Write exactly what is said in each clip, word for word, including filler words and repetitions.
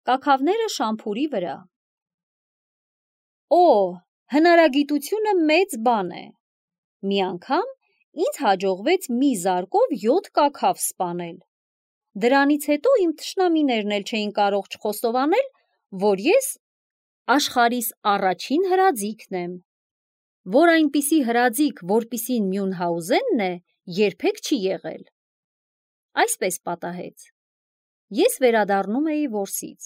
Կաքավները շամփուրի վրա։ Օ, հնարագիտությունը մեծ բան է։ Մի անգամ ինձ հաջողվեց մի զարկով յոթ կաքավ սպանել։ Դրանից հետո իմ թշնամիներն էլ չէին կարող չխոստովանել, որ ես աշխարհիս առաջին հրաձիգն եմ, որ այնպիսի հրաձիգ, որպիսին Մյունհաուզենն է, երբեք չի եղել։ Այսպես պատահեց։ Ես վերադառնում էի որսից։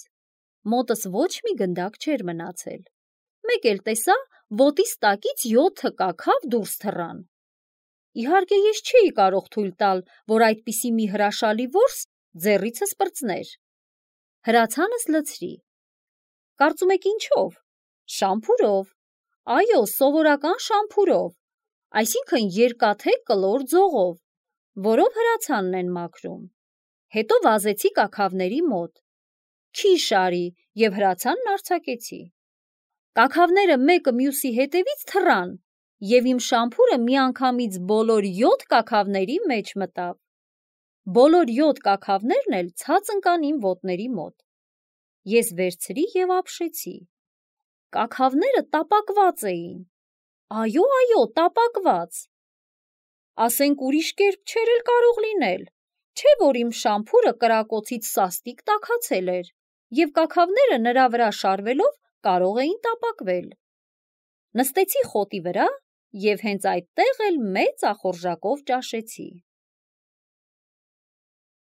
Մոտս ոչ մի գնդակ չէր մնացել։ Մեկ էլ տեսա, ոտիս տակից յոթը կաքավ դուրս թռան։ Իհարկե ես չէի կարող թույլ տալ, որ այդպիսի մի հրաշալի որս ձեռիցս պրծներ։ Հրացանս լցրի։ Կարծում եք ինչով։ Շամփուրով։ Այո, սովորական շամփուրով, այսինքն երկաթե կլոր ձողով, որով հրացանն են մաքրում։ Հետո վազեցի կաքավների մոտ։ Քիչ արի և հրացանն արձակեցի։ Կաքավները մեկը մյուսի հետևից թռան, և իմ շամփուրը միանգամից բոլոր յոթ կաքավների մեջ մտավ։ Բոլոր յոթ կաքավներն էլ ցած ընկան իմ ոտների մոտ։ Ես վերցրի և ապշեցի։ Կաքավները տապակված էին։ Այո, այո, տապակված։ Ասենք ուրիշ կերպ չէր էլ կարող լինել, չէ՞ որ իմ շամփուրը կրակոցից սաստիկ տաքացել էր, և կաքավները նրա վրա շարվելով կարող էին տապակվել։ Նստեցի խոտի վրա և հենց այդտեղ էլ մեծ ախորժակով ճաշեցի։